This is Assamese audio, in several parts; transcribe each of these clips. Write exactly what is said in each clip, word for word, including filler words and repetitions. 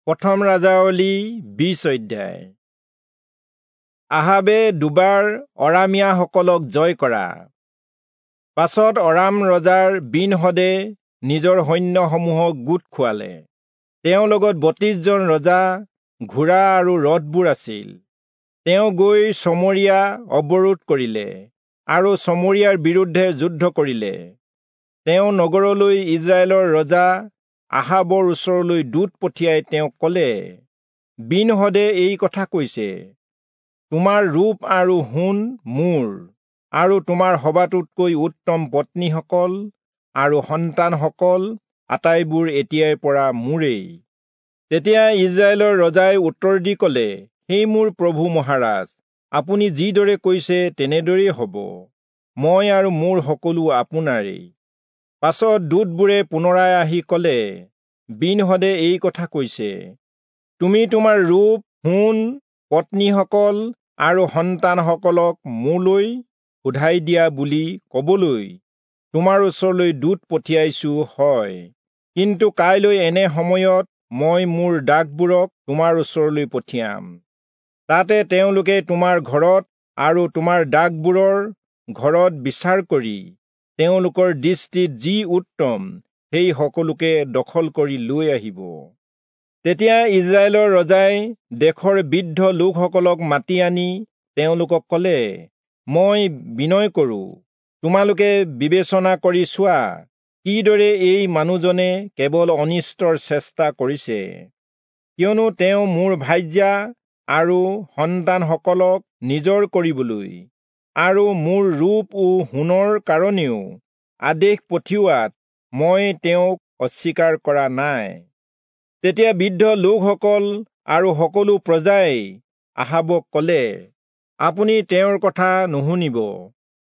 প্ৰথম ৰাজাৱলী বিশ অধ্যায়। আহাবে দুবাৰ অৰামীয়াসকলক জয় কৰা। পাছত অৰাম ৰজাৰ বিনহদে নিজৰ সৈন্যসমূহক গোট খুৱালে। তেওঁৰ লগত বত্ৰিশজন ৰজা, ঘোঁৰা আৰু ৰথবোৰ আছিল। তেওঁ গৈ চমৰীয়া অৱৰোধ কৰিলে আৰু চমৰীয়াৰ বিৰুদ্ধে যুদ্ধ কৰিলে। তেওঁ নগৰলৈ ইজৰাইলৰ ৰজা আহাবৰ ওচৰলৈ দূত পঠিয়াই তেওঁক ক'লে, বিনহদে এই কথা কৈছে, তোমাৰ ৰূপ আৰু সোণ মোৰ, আৰু তোমাৰ সবাতোতকৈ উত্তম পত্নীসকল আৰু সন্তানসকল আটাইবোৰ এতিয়াৰ পৰা মোৰেই। তেতিয়া ইজৰাইলৰ ৰজাই উত্তৰ দি ক'লে, হে মোৰ প্ৰভু মহাৰাজ, আপুনি যিদৰে কৈছে তেনেদৰেই হ'ব, মই আৰু মোৰ সকলো আপোনাৰেই। পাছত দূতবোৰে পুনৰাই আহি ক'লে, বিনহদে এই কথা কৈছে, তুমি তোমাৰ ৰূপ, সোণ, পত্নীসকল আৰু সন্তানসকলক মোলৈ সোধাই দিয়া বুলি ক'বলৈ তোমাৰ ওচৰলৈ দূত পঠিয়াইছো হয়, কিন্তু কাইলৈ এনে সময়ত মই মোৰ দাসবোৰক তোমাৰ ওচৰলৈ পঠিয়াম। তাতে তেওঁলোকে তোমাৰ ঘৰত আৰু তোমাৰ দাসবোৰৰ ঘৰত বিচাৰ কৰি তেওঁলোকৰ দৃষ্টিত যি উত্তম সেই সকলোকে দখল কৰি লৈ আহিব। তেতিয়া ইজৰাইলৰ ৰজাই দেশৰ বৃদ্ধ লোকসকলক মাতি আনি তেওঁলোকক ক'লে, মই বিনয় কৰোঁ, তোমালোকে বিবেচনা কৰি চোৱা কিদৰে এই মানুহজনে কেৱল অনিষ্টৰ চেষ্টা কৰিছে, কিয়নো তেওঁ মোৰ ভাৰ্যা আৰু সন্তানসকলক নিজৰ কৰিবলৈ আৰু মোৰ ৰূপ ও সোণৰ কাৰণেও আদেশ পঠিওৱাত মই তেওঁক অস্বীকাৰ কৰা নাই। তেতিয়া বৃদ্ধ লোকসকল আৰু সকলো প্ৰজাই আহাবক ক'লে, আপুনি তেওঁৰ কথা নুশুনিব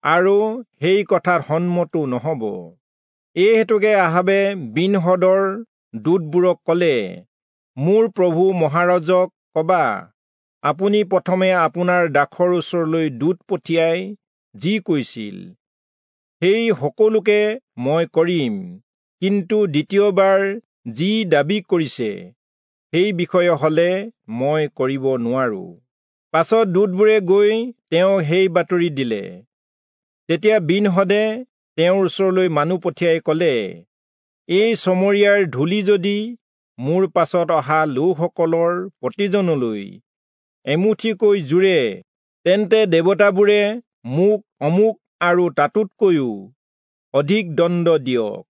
আৰু সেই কথাত সন্মতো নহ'ব। এই হেতুকে আহাবে বিনহদৰ দূতবোৰক ক'লে, মোৰ প্ৰভু মহাৰাজক ক'বা, আপুনি প্ৰথমে আপোনাৰ দাসৰ ওচৰলৈ দূত পঠিয়াই যি কৈছিল সেই সকলোকে মই কৰিম, কিন্তু দ্বিতীয়বাৰ যি দাবী কৰিছে সেই বিষয়ে হ'লে মই কৰিব নোৱাৰো। পাছত দূতবোৰে গৈ তেওঁ সেই বাতৰি দিলে। তেতিয়া বিনহদে তেওঁৰ ওচৰলৈ মানুহ পঠিয়াই ক'লে, এই চমৰীয়াৰ ধূলি যদি মোৰ পাছত অহা লোকসকলৰ প্ৰতিজনলৈ এমুঠিকৈ জোৰে, তেন্তে দেৱতাবোৰে মোক অমুক আৰু তাতোতকৈও অধিক দণ্ড দিয়ক।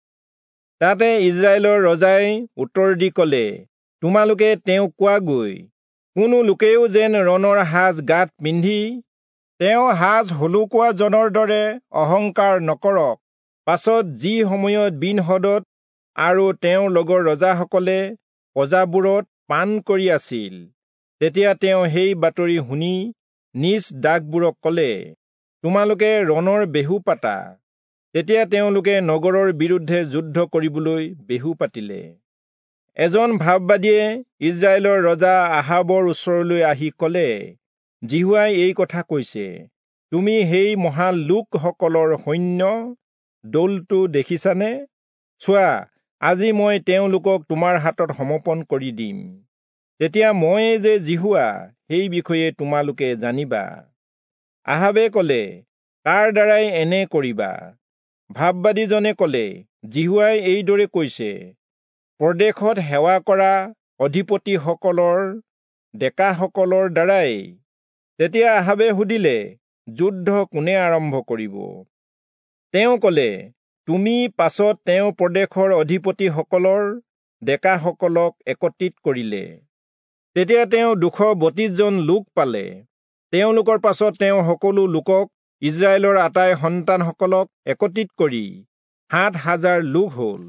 তাতে ইজৰাইলৰ ৰজাই উত্তৰ দি ক'লে, তোমালোকে তেওঁক কোৱাগৈ, কোনো লোকেও যেন ৰণৰ সাজ গাত পিন্ধি তেওঁ সাজ হলুকোৱাজনৰ দৰে অহংকাৰ নকৰক। পাছত যি সময়ত বিনহদত আৰু তেওঁৰ লগৰ ৰজাসকলে প্ৰজাবোৰত পান কৰি আছিল, তেতিয়া তেওঁ সেই বাতৰি শুনি নিজ দাসবোৰক ক'লে, তোমালোকে ৰণৰ বেহু পাতা। তেতিয়া তেওঁলোকে নগৰৰ বিৰুদ্ধে যুদ্ধ কৰিবলৈ বেহু পাতিলে। এজন ভাববাদীয়ে ইজৰাইলৰ ৰজা আহাবৰ ওচৰলৈ আহি ক'লে, যিহোৱাই এই কথা কৈছে, তুমি সেই মহান লোকসকলৰ সৈন্য দলটো দেখিছানে? চোৱা, আজি মই তেওঁলোকক তোমাৰ হাতত সমৰ্পণ কৰি দিম। তেতিয়া ময়ে যে যিহোৱা সেই বিষয়ে তোমালোকে জানিবা। আহাবে ক'লে, কাৰ দ্বাৰাই এনে কৰিবা? ভাববাদীজনে ক'লে, যিহোৱাই এইদৰে কৈছে, প্ৰদেশত সেৱা কৰা অধিপতিসকলৰ ডেকাসকলৰ দ্বাৰাই। তেতিয়া আহাবে সুধিলে, যুদ্ধ কোনে আৰম্ভ কৰিব? তেওঁ ক'লে, তুমি। পাছত তেওঁ প্ৰদেশৰ অধিপতিসকলৰ ডেকাসকলক একত্ৰিত কৰিলে। তেতিয়া তেওঁ দুশ বত্ৰিশজন লোক পালে। তেওঁলোকৰ পাছত তেওঁ সকলো লোকক, ইজৰাইলৰ আটাই সন্তানসকলক একত্ৰিত কৰি সাত হাজাৰ লোক হ'ল।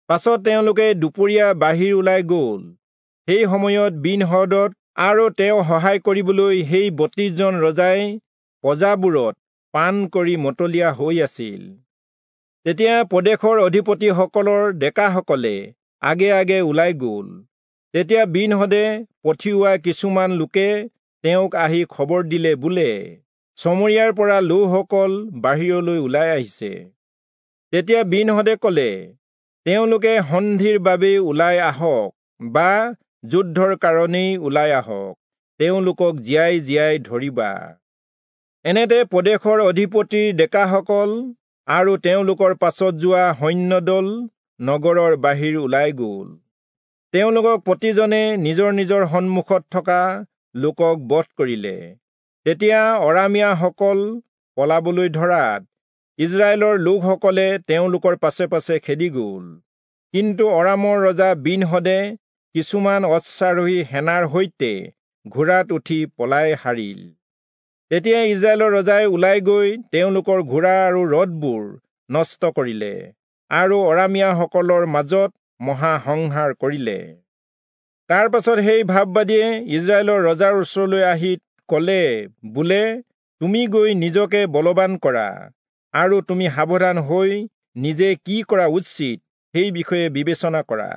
পাছত তেওঁলোকে দুপৰীয়া বাহিৰ ওলাই গ'ল। সেই সময়ত বিনহদত আৰু তেওঁ সহায় কৰিবলৈ সেই বত্ৰিশজন ৰজাই প্ৰজাবোৰত পান কৰি মতলীয়া হৈ আছিল। তেতিয়া প্ৰদেশৰ অধিপতিসকলৰ ডেকাসকলে আগে আগে ওলাই গ'ল। তেতিয়া বিনহদে পঠিওৱা কিছুমান লোকে তেওঁক আহি খবৰ দিলে, বোলে, চমৰীয়াৰ পৰা লোকসকল বাহিৰলৈ ওলাই আহিছে। তেতিয়া বিনহদে ক'লে, তেওঁলোকে সন্ধিৰ বাবে ওলাই আহক বা যুদ্ধৰ কাৰণেই ওলাই আহক, তেওঁলোকক জীয়াই জীয়াই ধৰিবা। এনেতে প্ৰদেশৰ অধিপতিৰ ডেকাসকল আৰু তেওঁলোকৰ পাছত যোৱা সৈন্যদল নগৰৰ বাহিৰ ওলাই গ'ল। তেওঁলোকক প্ৰতিজনে নিজৰ নিজৰ সন্মুখত থকা লোকক বধ কৰিলে। তেতিয়া অৰামীয়াসকল পলাবলৈ ধৰাত ইজৰাইলৰ লোকসকলে তেওঁলোকৰ পাছে পাছে খেদি গ'ল। কিন্তু অৰামৰ ৰজা বিনহদে কিছুমান অশ্বাৰোহী সেনাৰ সৈতে ঘোঁৰাত উঠি পলাই সাৰিল। তেতিয়া ইজৰাইলৰ ৰজাই ওলাই গৈ তেওঁলোকৰ ঘোঁৰা আৰু ৰথবোৰ নষ্ট কৰিলে আৰু অৰামীয়াসকলৰ মাজত মহাসংহাৰ কৰিলে। তাৰ পাছত সেই ভাববাদীয়ে ইজৰাইলৰ ৰজাৰ ওচৰলৈ আহি ক'লে, বোলে, তুমি গৈ নিজকে বলৱান কৰা আৰু তুমি সাৱধান হৈ নিজে কি কৰা উচিত সেই বিষয়ে বিবেচনা কৰা,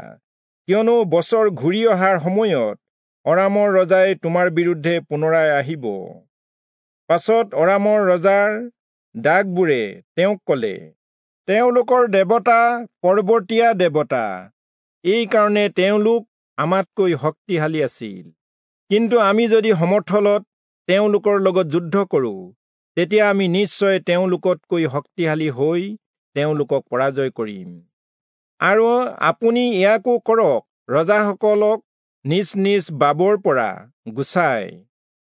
কিয়নো বছৰ ঘূৰি অহাৰ সময়ত অৰামৰ ৰজাই তোমাৰ বিৰুদ্ধে পুনৰাই আহিব। পাছত অৰামৰ ৰজাৰ দাসবোৰে তেওঁক ক'লে, তেওঁলোকৰ দেৱতা পৰ্বতীয়া দেৱতা, এইকাৰণে তেওঁলোক আমাতকৈ শক্তিশালী আছিল। কিন্তু আমি যদি সমৰ্থলত তেওঁলোকৰ লগত যুদ্ধ কৰোঁ, তেতিয়া আমি নিশ্চয় তেওঁলোকতকৈ শক্তিশালী হৈ তেওঁলোকক পৰাজয় কৰিম। আৰু আপুনি ইয়াকো কৰক, ৰজাসকলক নিজ নিজ বাবৰ পৰা গুচাই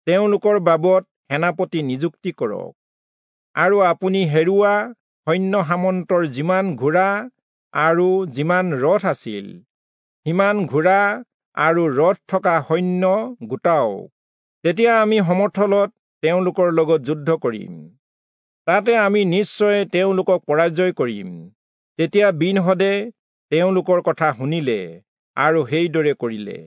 তেওঁলোকৰ বাবত সেনাপতি নিযুক্তি কৰক। আৰু আপুনি হেৰুৱা সৈন্য সামন্তৰ যিমান ঘোঁৰা আৰু যিমান ৰথ আছিল, সিমান ঘোঁৰা আৰু ৰথ থকা সৈন্য গোটাওক। তেতিয়া আমি সমৰ্থলত তেওঁলোকৰ লগত যুদ্ধ কৰিম, তাতে আমি নিশ্চয় তেওঁলোকক পৰাজয় কৰিম। তেতিয়া বিনহদে তেওঁলোকৰ কথা শুনিলে আৰু সেইদৰে কৰিলে।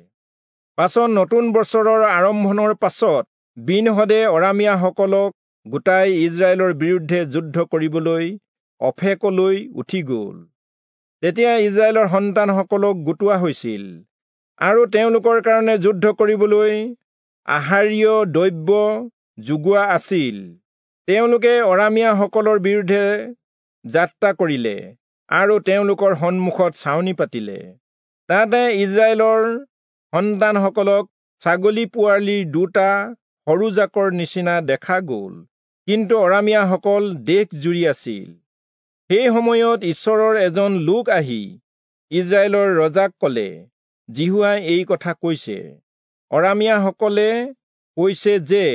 পাছত নতুন বছৰৰ আৰম্ভণৰ পাছত বিনহদে অৰামীয়াসকলক গোটাই ইজৰাইলৰ বিৰুদ্ধে যুদ্ধ কৰিবলৈ অফেকলৈ উঠি গ'ল। তেতিয়া ইজৰাইলৰ সন্তানসকলক গোটোৱা হৈছিল আৰু তেওঁলোকৰ কাৰণে যুদ্ধ কৰিবলৈ আহাৰীয় দ্ৰব্য যোগোৱা আছিল। তেওঁলোকে অৰামীয়াসকলৰ বিৰুদ্ধে যাত্ৰা কৰিলে আৰু তেওঁলোকৰ সন্মুখত ছাউনি পাতিলে। তাতে ইজৰাইলৰ সন্তানসকলক ছাগলী পোৱালিৰ দুটা সৰু জাকৰ নিচিনা দেখা গ'ল, কিন্তু অৰামীয়াসকল দেশ জুৰি আছিল। সেই সময়ত ঈশ্বৰৰ এজন লোক আহি ইজৰাইলৰ ৰজাক ক'লে, যিহোৱাই এই কথা কৈছে, অৰামীয়াসকলে কৈছে যে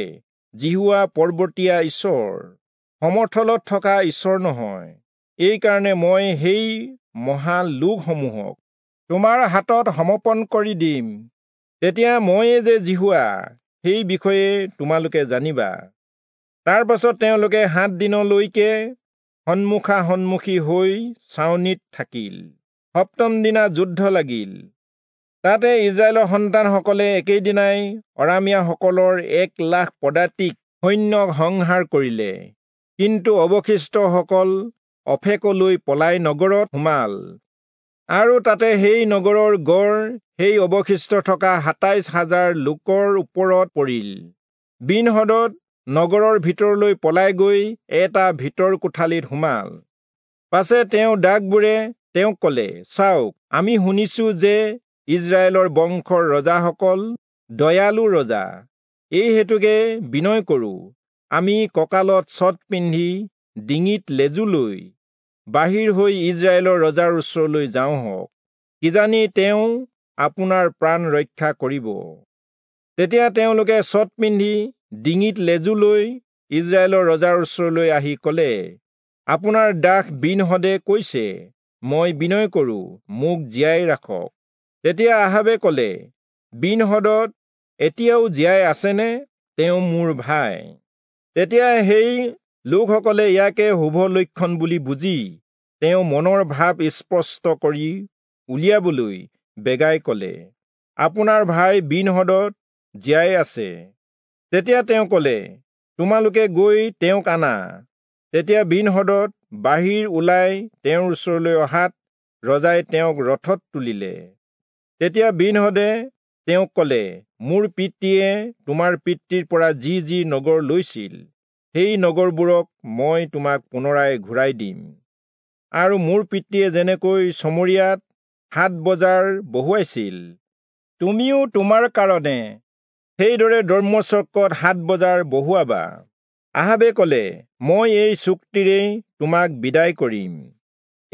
যিহোৱা পৰ্বতীয়া ঈশ্বৰ, সমৰ্থলত থকা ঈশ্বৰ নহয়। এইকাৰণে মই সেই মহা লোকসমূহক তোমাৰ হাতত সমৰ্পণ কৰি দিম। তেতিয়া ময়ে যে যিহোৱা, সেই বিষয়ে তোমালোকে জানিবা। তাৰ পাছত তেওঁলোকে সাত দিনলৈকে সন্মুখা সন্মুখী হৈ ছাউনিত থাকিল। সপ্তম দিনা যুদ্ধ লাগিল। তাতে ইজৰাইলৰ সন্তানসকলে একেদিনাই অৰামীয়াসকলৰ এক লাখ পদাতিক সৈন্যক সংহাৰ কৰিলে। কিন্তু অৱশিষ্টসকল অফেকলৈ পলাই নগৰত সোমাল আৰু তাতে সেই নগৰৰ গড় সেই অৱশিষ্ট থকা সাতাইশ হাজাৰ লোকৰ ওপৰত পৰিল। বিনহদত নগৰৰ ভিতৰলৈ পলাই গৈ এটা ভিতৰ কোঠালিত সোমাল। পাছে তেওঁ দাসবোৰে তেওঁক ক'লে, চাওক, আমি শুনিছো যে ইজৰাইলৰ বংশৰ ৰজাসকল দয়ালু ৰজা, এই হেতুকে বিনয় কৰোঁ, আমি কঁকালত চট পিন্ধি ডিঙিত লেজু লৈ বাহিৰ হৈ ইজৰাইলৰ ৰজাৰ ওচৰলৈ যাওঁ হওক, কিজানি তেওঁ আপোনাৰ প্ৰাণ ৰক্ষা কৰিব। তেতিয়া তেওঁলোকে চট পিন্ধি ডিঙিত লেজু লৈ ইজৰাইলৰ ৰজাৰ ওচৰলৈ আহি ক'লে, আপোনাৰ দাস বিনহদে কৈছে, মই বিনয় কৰোঁ, মোক জীয়াই ৰাখক। তেতিয়া আহাবে ক'লে, বিনহদত এতিয়াও জীয়াই আছেনে? তেওঁ মোৰ ভাই। তেতিয়া সেই লোকসকলে ইয়াকে শুভ লক্ষণ বুলি বুজি তেওঁ মনৰ ভাৱ স্পষ্ট কৰি উলিয়াবলৈ বেগাই ক'লে, আপোনাৰ ভাই বিনহদত জীয়াই আছে। তেতিয়া তেওঁ ক'লে, তোমালোকে গৈ তেওঁক আনা। তেতিয়া বিনহদত বাহিৰ ওলাই তেওঁৰ ওচৰলৈ অহাত ৰজাই তেওঁক ৰথত তুলিলে। তেতিয়া বিনহদে তেওঁক ক'লে, মোৰ পিতৃয়ে তোমাৰ পিতৃৰ পৰা যি যি নগৰ লৈছিল, সেই নগৰবোৰক মই তোমাক পুনৰাই ঘূৰাই দিম। আৰু মোৰ পিতৃয়ে যেনেকৈ চমৰীয়াত হাট বজাৰ বহুৱাইছিল, তুমিও তোমাৰ কাৰণে সেইদৰে দম্মেচকত হাট বজাৰ বহুৱাবা। আহাবে কলে, মই এই চুক্তিৰেই তোমাক বিদায় কৰিম।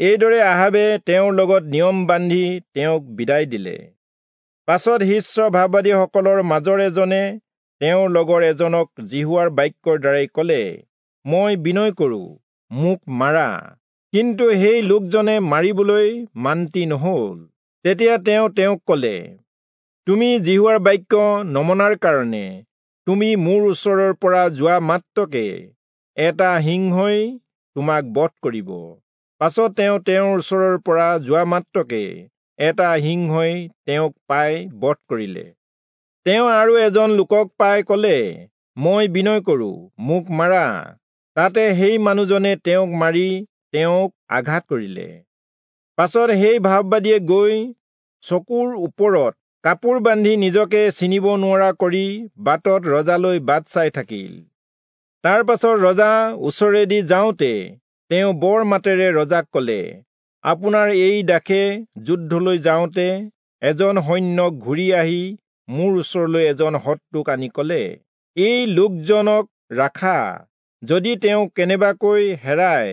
এইদৰে আহাবে তেওঁৰ লগত নিয়ম বান্ধি তেওঁক বিদায় দিলে। পাছত শিষ্য ভাববাদীসকলৰ মাজৰ এজনে তেওঁৰ লগৰ এজনক যিহোৱাৰ বাক্যৰ দ্বাৰাই কলে, মই বিনয় কৰো, মোক মাৰা। কিন্তু সেই লোকজনে মাৰিবলৈ মান্তি নহল। তেতিয়া তেওঁ তেওঁক কলে, তুমি যিহোৱাৰ বাক্য নমনাৰ কাৰণে তুমি মোৰ ওচৰৰ পৰা যোৱা মাত্ৰকে এটা সিংহই তোমাক বধ কৰিব। পাছত তেওঁ তেওঁৰ ওচৰৰ পৰা যোৱা মাত্ৰকে এটা সিংহই তেওঁক পাই বধ কৰিলে। তেওঁ আৰু এজন লোকক পাই কলে, মই বিনয় কৰো, মোক মাৰা। তাতে সেই মানুহজনে তেওঁক মাৰি তেওঁক আঘাত কৰিলে। পাছত সেই ভাববাদীয়ে গৈ চকুৰ ওপৰত কাপোৰ বান্ধি নিজকে চিনিব নোৱাৰা কৰি বাটত ৰজালৈ বাট চাই থাকিল। তাৰ পাছত ৰজা ওচৰেদি যাওঁতে তেওঁ বৰ মাতেৰে ৰজাক কলে, আপোনাৰ এই দাসে যুদ্ধলৈ যাওঁতে এজন সৈন্যক ঘূৰি আহি মোৰ ওচৰলৈ এজন শত্ৰুক আনি কলে, এই লোকজনক ৰাখা, যদি তেওঁ কেনেবাকৈ হেৰায়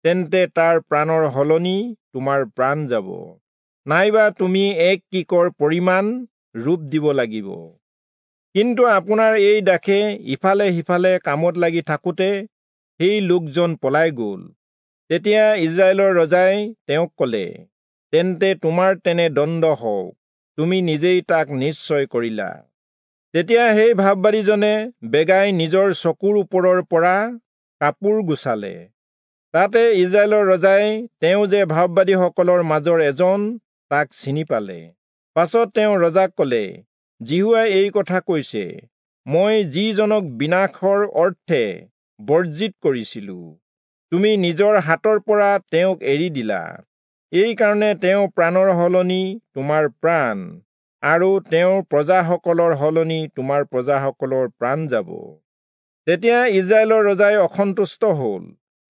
তেন্তে তাৰ প্ৰাণৰ সলনি তোমাৰ প্ৰাণ যাব, নাইবা তুমি এক কিকৰ পৰিমাণ ৰূপ দিব লাগিব। কিন্তু আপোনাৰ এই দাসে ইফালে সিফালে কামত লাগি থাকোঁতে সেই লোকজন পলাই গ'ল। তেতিয়া ইজৰাইলৰ ৰজাই তেওঁক কলে, তেন্তে তোমাৰ তেনে দণ্ড হওক, তুমি নিজেই তাক নিশ্চয় কৰিলা। তেতিয়া সেই ভাববাদীজনে বেগাই নিজৰ চকুৰ ওপৰৰ পৰা কাপোৰ গুচালে। তাতে ইজৰাইলৰ ৰজাই তেওঁ যে ভাববাদীসকলৰ মাজৰ এজন তাক চিনি পালে। পাছত তেওঁ ৰজাক কলে, যিহোৱাই এই কথা কৈছে, মই যিজনক বিনাশৰ অৰ্থে বৰ্জিত কৰিছিলো, তুমি নিজৰ হাতৰ পৰা তেওঁক এৰি দিলা। এইকাৰণে তেওঁ প্ৰাণৰ সলনি তোমাৰ প্ৰাণ আৰু তেওঁৰ প্ৰজাসকলৰ সলনি তোমাৰ প্ৰজাসকলৰ প্ৰাণ যাব। তেতিয়া ইজৰাইলৰ ৰজাই অসন্তুষ্ট হল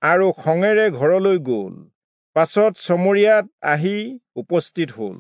আৰু খঙেৰে ঘৰলৈ গল। পাছত চমৰিয়াত আহি উপস্থিত হল।